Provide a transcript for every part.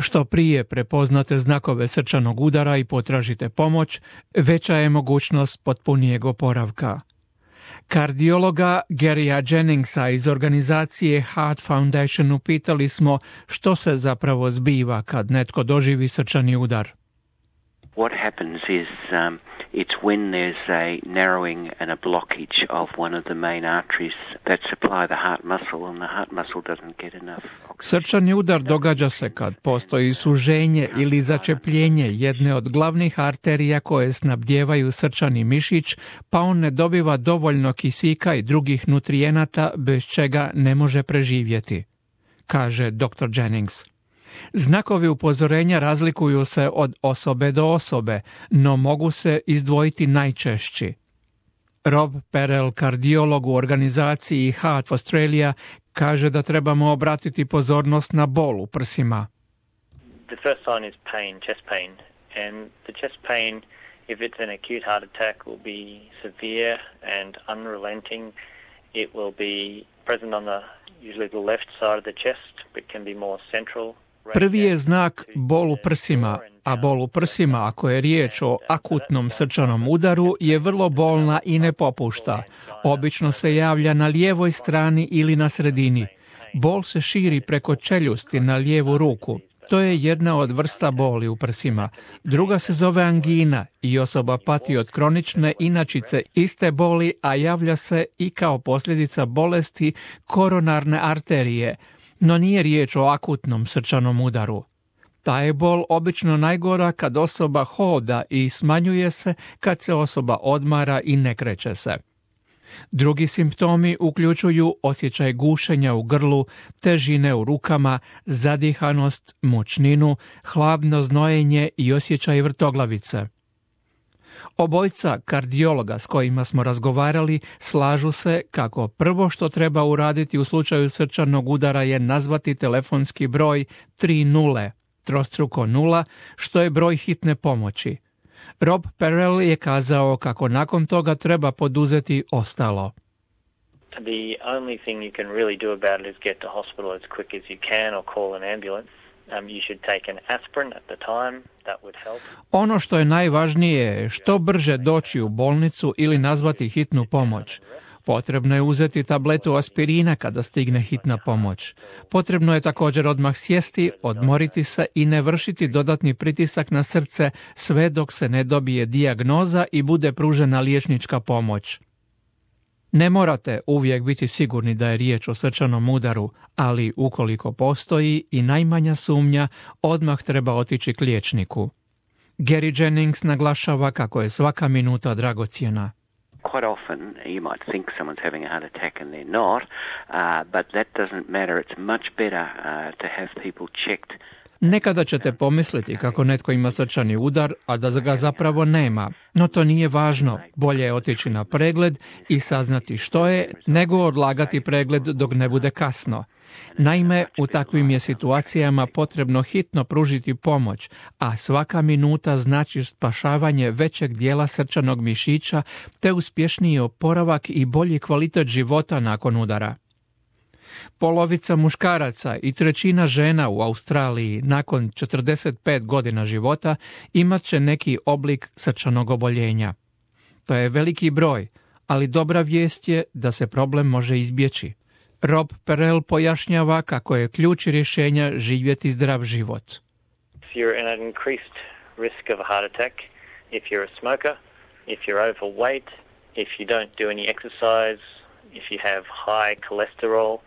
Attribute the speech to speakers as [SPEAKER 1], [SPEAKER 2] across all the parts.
[SPEAKER 1] Što prije prepoznate znakove srčanog udara i potražite pomoć, veća je mogućnost potpunijeg oporavka. Kardiologa Garya Jenningsa iz organizacije Heart Foundation upitali smo što se zapravo zbiva kad netko doživi srčani udar.
[SPEAKER 2] What happens is it's when there's a narrowing and a blockage of one of the main arteries that supply the heart muscle, and the heart muscle doesn't get enough oxygen.
[SPEAKER 1] Srčani udar događa se kad postoji suženje ili začepljenje jedne od glavnih arterija koje snabdijevaju srčani mišić, pa on ne dobiva dovoljno kisika i drugih nutrijenata bez čega ne može preživjeti, kaže dr. Jennings. Znakovi upozorenja razlikuju se od osobe do osobe, no mogu se izdvojiti najčešći. Rob Perel, kardiolog u organizaciji Heart Australia, kaže da trebamo obratiti pozornost na bol u prsima.
[SPEAKER 3] The first sign is pain, chest pain, and the chest pain, if it's an acute heart attack, will be severe and unrelenting. It will be present on usually the left side of the chest, but can be more central.
[SPEAKER 1] Prvi je znak bol u prsima, a bol u prsima, ako je riječ o akutnom srčanom udaru, je vrlo bolna i ne popušta. Obično se javlja na lijevoj strani ili na sredini. Bol se širi preko čeljusti na lijevu ruku. To je jedna od vrsta boli u prsima. Druga se zove angina i osoba pati od kronične inačice iste boli, a javlja se i kao posljedica bolesti koronarne arterije, no nije riječ o akutnom srčanom udaru. Ta je bol obično najgora kad osoba hoda i smanjuje se kad se osoba odmara i ne kreće se. Drugi simptomi uključuju osjećaj gušenja u grlu, težine u rukama, zadihanost, mučninu, hladno znojenje i osjećaj vrtoglavice. Obojica kardiologa s kojima smo razgovarali slažu se kako prvo što treba uraditi u slučaju srčanog udara je nazvati telefonski broj 30, trostruko 0, što je broj hitne pomoći. Rob Perel je kazao kako nakon toga treba poduzeti ostalo.
[SPEAKER 3] The only thing you can really do about it is get to hospital as quick as you can or call an ambulance. You should take an aspirin at the time. That would help.
[SPEAKER 1] Ono što je najvažnije je što brže doći u bolnicu ili nazvati hitnu pomoć. Potrebno je uzeti tabletu aspirina kada stigne hitna pomoć. Potrebno je također odmah sjesti, odmoriti se i ne vršiti dodatni pritisak na srce sve dok se ne dobije dijagnoza i bude pružena liječnička pomoć. Ne morate uvijek biti sigurni da je riječ o srčanom udaru, ali ukoliko postoji i najmanja sumnja, odmah treba otići k liječniku. Garya Jennings naglašava kako je svaka minuta dragocjena.
[SPEAKER 2] Quite often you might think someone's having a heart attack and they're not, but that doesn't matter. It's much better to have people checked.
[SPEAKER 1] Nekada ćete pomisliti kako netko ima srčani udar, a da ga zapravo nema. No to nije važno. Bolje je otići na pregled i saznati što je, nego odlagati pregled dok ne bude kasno. Naime, u takvim je situacijama potrebno hitno pružiti pomoć, a svaka minuta znači spašavanje većeg dijela srčanog mišića te uspješniji oporavak i bolji kvalitet života nakon udara. Polovica muškaraca i trećina žena u Australiji nakon 45 godina života imat će neki oblik srčanog oboljenja. To je veliki broj, ali dobra vijest je da se problem može izbjeći. Rob Perel pojašnjava kako je ključ rješenja živjeti zdrav život.
[SPEAKER 3] If you're in an increased risk of a heart attack, if you're a smoker, if you're overweight, if you don't do any exercise, if you have high cholesterol,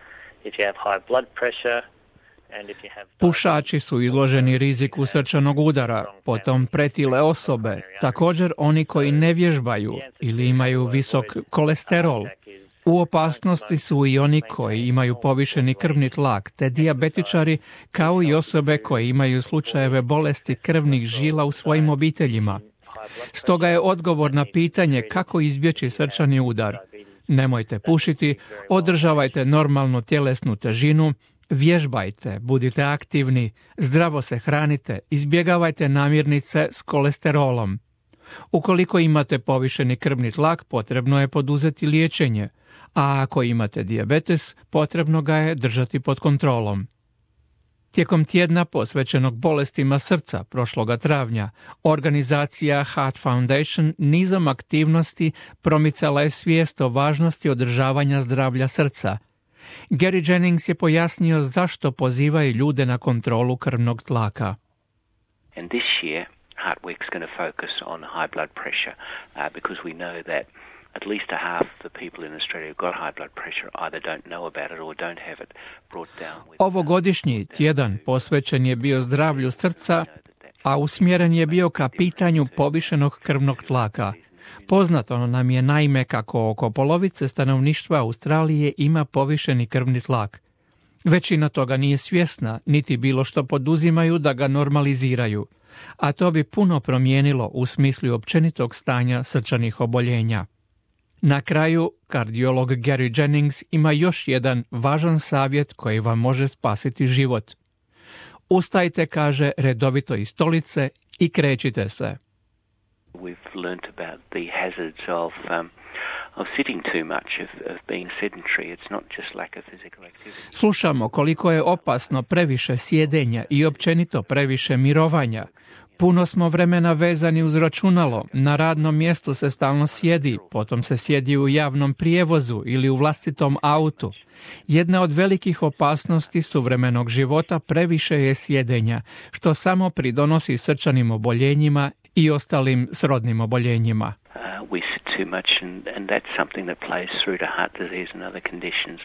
[SPEAKER 3] if you have high blood pressure, and if you have...
[SPEAKER 1] Pušači su izloženi riziku srčanog udara, potom pretile osobe, također oni koji ne vježbaju ili imaju visok kolesterol. U opasnosti su i oni koji imaju povišeni krvni tlak, te dijabetičari, kao i osobe koje imaju slučajeve bolesti krvnih žila u svojim obiteljima. Stoga je odgovor na pitanje kako izbjeći srčani udar: nemojte pušiti, održavajte normalnu tjelesnu težinu, vježbajte, budite aktivni, zdravo se hranite, izbjegavajte namirnice s kolesterolom. Ukoliko imate povišeni krvni tlak, potrebno je poduzeti liječenje, a ako imate dijabetes, potrebno ga je držati pod kontrolom. Tijekom tjedna posvećenog bolestima srca prošloga travnja, organizacija Heart Foundation nizom aktivnosti promicala je svijest o važnosti održavanja zdravlja srca. Gary Jennings je pojasnio zašto pozivaju ljude na kontrolu krvnog tlaka.
[SPEAKER 2] And this year, Heart Week's going to focus on high blood pressure because we know that at least a half of the people in Australia who've got high blood pressure either don't know about it or don't have it brought down.
[SPEAKER 1] Ovogodišnji tjedan posvećen je bio zdravlju srca, a usmjeren je bio ka pitanju povišenog krvnog tlaka. Poznato nam je naime kako oko polovice stanovništva Australije ima povišeni krvni tlak. Većina toga nije svjesna, niti bilo što poduzimaju da ga normaliziraju, a to bi puno promijenilo u smislu općenitog stanja srčanih oboljenja. Na kraju, kardiolog Gary Jennings ima još jedan važan savjet koji vam može spasiti život. Ustajte, kaže, redovito iz stolice i krećite se.
[SPEAKER 2] We've learnt about the hazards of sitting too much, of being sedentary. It's not just lack of physical activity.
[SPEAKER 1] Slušamo koliko je opasno previše sjedenja i općenito previše mirovanja. Puno smo vremena vezani uz računalo, na radnom mjestu se stalno sjedi, potom se sjedi u javnom prijevozu ili u vlastitom autu. Jedna od velikih opasnosti suvremenog života previše je sjedenja, što samo pridonosi srčanim oboljenjima i ostalim srodnim oboljenjima.
[SPEAKER 2] We sit too much and that's something that plays through to heart disease and other conditions.